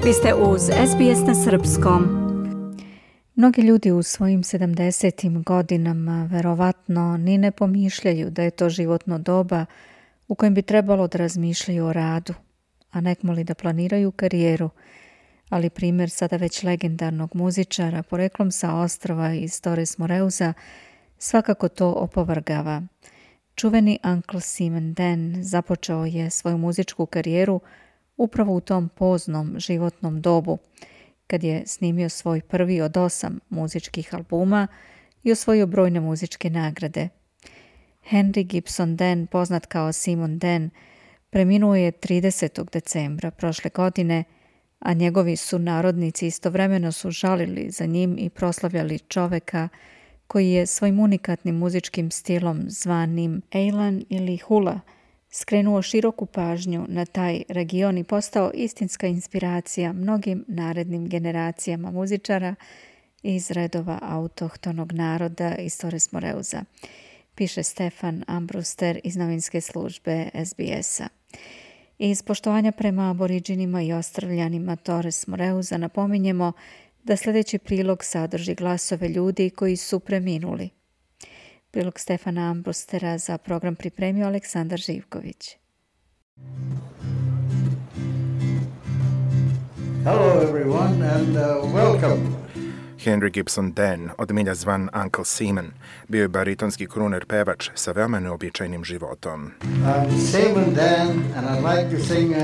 Vi ste uz SBS na srpskom. Mnogi ljudi u svojim 70. godinama verovatno ni ne pomišljaju da je to životno doba u kojem bi trebalo da razmišljaju o radu, a nekmoli da planiraju karijeru, ali primjer sada već legendarnog muzičara poreklom sa ostrva iz Torres Moreusa svakako to opovrgava. Čuveni Uncle Simon Dan započeo je svoju muzičku karijeru upravo u tom poznom životnom dobu, kad je snimio svoj prvi od 8 muzičkih albuma i osvojio brojne muzičke nagrade. Henry Gibson Dan, poznat kao Simon Dan, preminuo je 30. decembra prošle godine, a njegovi sunarodnici istovremeno su žalili za njim i proslavljali čoveka koji je svojim unikatnim muzičkim stilom zvanim Eilan ili Hula skrenuo široku pažnju na taj region i postao istinska inspiracija mnogim narednim generacijama muzičara iz redova autohtonog naroda iz Torres Moreusa, piše Stefan Ambruster iz novinske službe SBS-a. Iz poštovanja prema aboriđinima i ostrvljanima Torres Moreusa napominjemo da sljedeći prilog sadrži glasove ljudi koji su preminuli. Prilog Stefana Ambrustera za program pripremio Aleksandar Živković. Hello everyone and welcome. Henry Gibson Dan, od milja zvan Uncle Simon, bio je baritonski kruner pevač sa veoma neobičajnim životom. I'm Simon Dan and I'd like to sing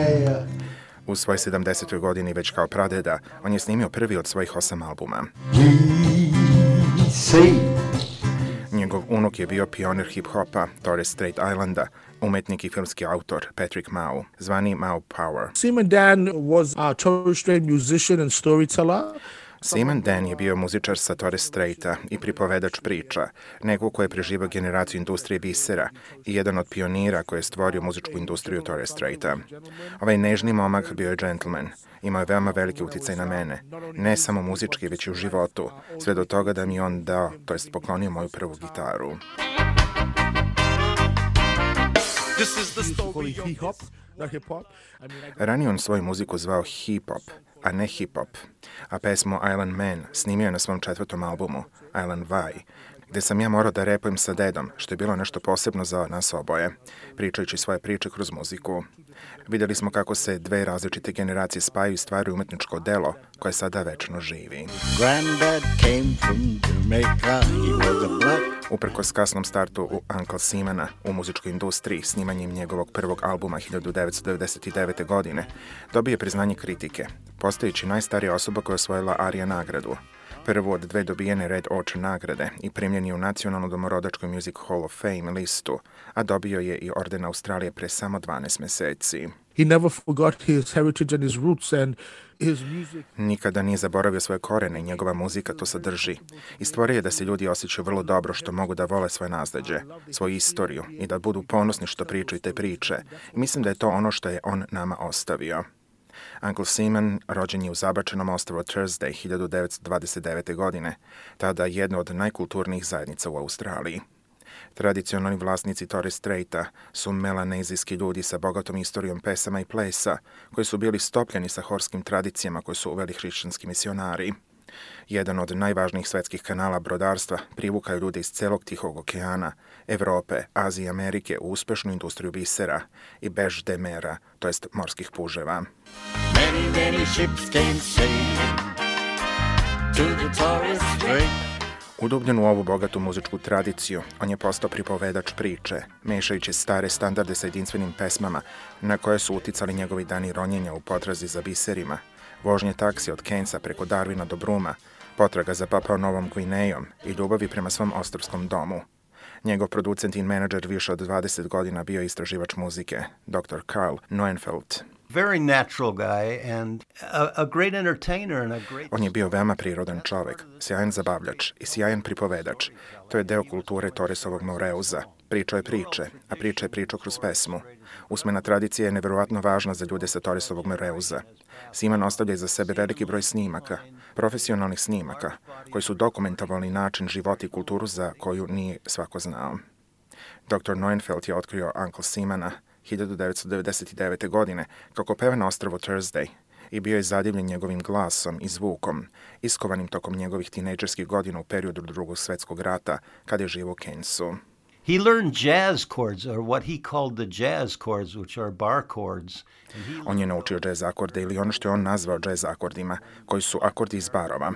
U svojoj 70. godini već kao pradeda, on je snimio prvi od svojih 8 albuma. Njegov unuk je bio pionir hip-hopa Torres Strait Islanda, umetnik i filmski autor Patrick Mau, zvani Mau Power. Simon Dan was a Torres Strait musician and storyteller. Simon Dan je bio muzičar sa Torres Straita i pripovedač priča, neko ko je preživao generaciju industrije bisera i jedan od pionira koji je stvorio muzičku industriju Torres Straita. Ovaj nežni momak bio je gentleman, imao je veoma veliki uticaj na mene, ne samo muzički, već i u životu, sve do toga da mi on dao, to jest poklonio moju prvu gitaru. Ranije on svoju muziku zvao hip-hop, a ne hip-hop, a pesmu Island Man snimio je na svom 4. albumu, Island Vai, gde sam ja morao da repujem sa dedom, što je bilo nešto posebno za nas oboje, pričajući svoje priče kroz muziku. Vidjeli smo kako se dve različite generacije spajaju i stvaraju umetničko delo koje sada večno živi. Uprkos kasnom startu u Uncle Simona u muzičkoj industriji, snimanjem njegovog prvog albuma 1999. godine, dobio je priznanje kritike, postajući najstarija osoba koja je osvojila ARIA nagradu, prvu od 2 dobijene Red Orchard nagrade i primljen je u Nacionalnu domorodačku Music Hall of Fame listu, a dobio je i orden Australije pre samo 12 meseci. He never forgot his heritage and his roots and his music. Nikada nije zaboravio svoje korene i njegova muzika to sadrži. I stvorio je da se ljudi osjećaju vrlo dobro što mogu da vole svoje nasleđe, svoju istoriju i da budu ponosni što pričaju te priče. I mislim da je to ono što je on nama ostavio. Uncle Simon rođen je u zabačenom ostrvu Thursday 1929. godine, tada jedna od najkulturnijih zajednica u Australiji. Tradicionalni vlasnici Torres Straita su melanezijski ljudi sa bogatom istorijom pesama i plesa, koji su bili stopljeni sa horskim tradicijama koje su uveli hrišćanski misionari. Jedan od najvažnijih svetskih kanala brodarstva privukaju ljude iz celog Tihog okeana, Evrope, Azije i Amerike u uspešnu industriju bisera i bež de mera, to jest morskih puževa. Many ships came sailing to the Torres Strait. Udubljen u ovu bogatu muzičku tradiciju, on je postao pripovedač priče, mešajući stare standarde sa jedinstvenim pesmama na koje su uticali njegovi dani ronjenja u potrazi za biserima, vožnje taksi od Cairnsa preko Darwina do Bruma, potraga za Papua Novom Gvinejom i ljubavi prema svom ostrvskom domu. Njegov producent i menadžer više od 20 godina bio istraživač muzike, dr. Carl Neuenfeld. Very natural guy and a great entertainer and a great... On je bio veoma prirodan čovek, sjajan zabavljač i sjajan pripovedač. To je deo kulture Torresovog Moreusa. Pričao je priče, a priča je pričao kroz pesmu. Usmena tradicija je neverovatno važna za ljude sa Torresovog Moreusa. Simon ostavlja iza sebe veliki broj snimaka, profesionalnih snimaka, koji su dokumentovali način života i kulturu za koju nije svako znao. Dr. Neuenfeld je otkrio Uncle Simona 1999. godine kako peva na ostrvu Thursday i bio je zadivljen njegovim glasom i zvukom, iskovanim tokom njegovih tinejdžerskih godina u periodu Drugog svjetskog rata, kad je živio u Keynesu. He learned jazz chords, or what he called the jazz chords, which are bar chords. On je naučio jazz akorde ili ono što je on nazvao jazz akordima, koji su akordi iz barova.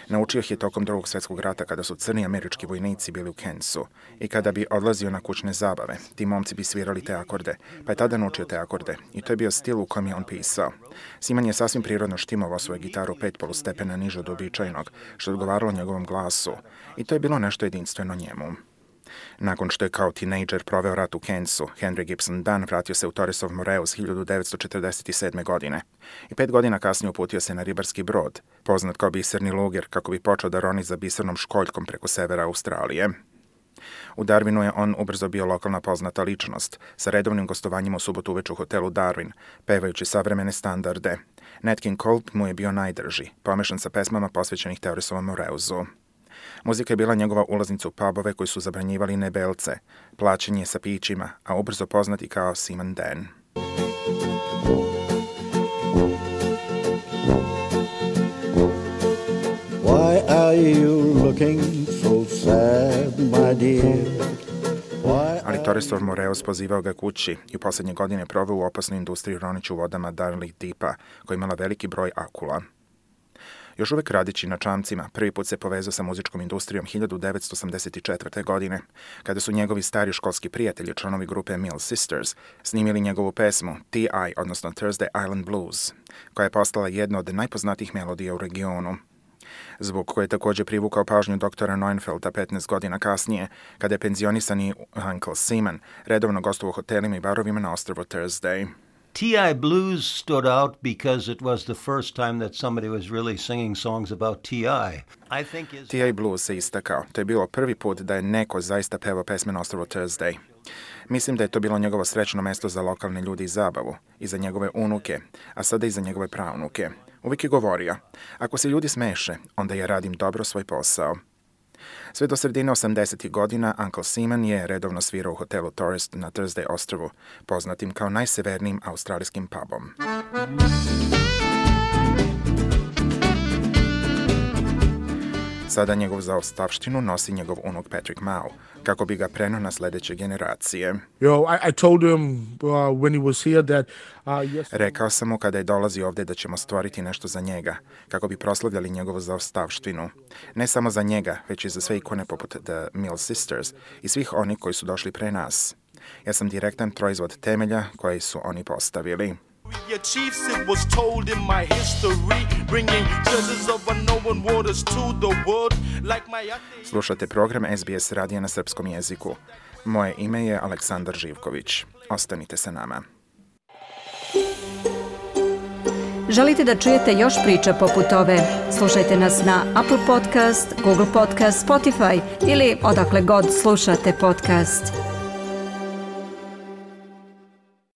Naučio ih je tokom Drugog svjetskog rata kada su crni američki vojnici bili u Keynesu i kada bi odlazio na kućne zabave. Ti momci bi svirali te akorde, pa je tada naučio te akorde i to je bio stil u kojem je on pisao. Simon je sasvim prirodno štimovao svoju gitaru 5 polustepena niže od uobičajenog, što je odgovaralo njegovom glasu i to je bilo nešto jedinstveno njemu. Nakon što je kao tinejdžer proveo rat u Keynesu, Henry Gibson Dunn vratio se u Torresov Moreus 1947. godine i 5 godina kasnije uputio se na ribarski brod, poznat kao biserni luger, kako bi počeo da roni za bisernom školjkom preko severa Australije. U Darwinu je on ubrzo bio lokalna poznata ličnost, sa redovnim gostovanjima u subotu uveče u hotelu Darwin, pevajući savremene standarde. Nat King Cole mu je bio najdrži, pomešan sa pesmama posvećenih Torresovom Moreusu. Muzika je bila njegova ulaznica u pubove koji su zabranjivali nebelce, plaćanje sa pićima, a ubrzo poznati kao Simon Dan. Why are you looking so sad, my dear? Ali Torresov Moreus pozivao ga kući i u posljednje godine proveo u opasnoj industriji roniću u vodama Darling Deepa, koja je imala veliki broj akula. Još uvek radići na čamcima, prvi put se povezao sa muzičkom industrijom 1984. godine, kada su njegovi stari školski prijatelji, članovi grupe Mill Sisters, snimili njegovu pesmu T.I., odnosno Thursday Island Blues, koja je postala jedna od najpoznatijih melodija u regionu. Zvuk koji je također privukao pažnju doktora Neuffelda 15 godina kasnije, kada je penzionisani Uncle Simon redovno gostovao u hotelima i barovima na ostrvu Thursday. T.I. Blues stood out because it was the first time that somebody was really singing songs about T.I. T.I. Blues se istakao. To je bilo prvi put da je neko zaista pevao pesme na ostrvu Thursday. Mislim da je to bilo njegovo srećno mesto za lokalne ljudi i zabavu, i za njegove unuke, a sada i za njegove praunuke. Uvijek je govorio, ako se ljudi smeše, onda ja radim dobro svoj posao. Sve do sredine 80. godina Uncle Simon je redovno svirao u hotelu Tourist na Thursday ostrvu, poznatim kao najsevernijim australijskim pubom. Sada njegovu zaostavštinu nosi njegov unuk Patrick Mao, kako bi ga preneo na sljedeće generacije. I told him when he was here that Rekao sam mu kada je dolazio ovdje da ćemo stvoriti nešto za njega, kako bi proslavljali njegovu zaostavštinu. Ne samo za njega, već i za sve ikone poput The Mill Sisters i svih onih koji su došli pre nas. Ja sam direktan proizvod temelja koji su oni postavili. Your chiefs, it was told in my history, bringing treasures of unknown waters to the world, like my... Slušate program SBS radija na srpskom jeziku. Moje ime je Aleksandar Živković. Ostanite sa nama. Želite da čujete još priča poput ove? Slušajte nas na Apple Podcast, Google Podcast, Spotify ili odakle god slušate podcast.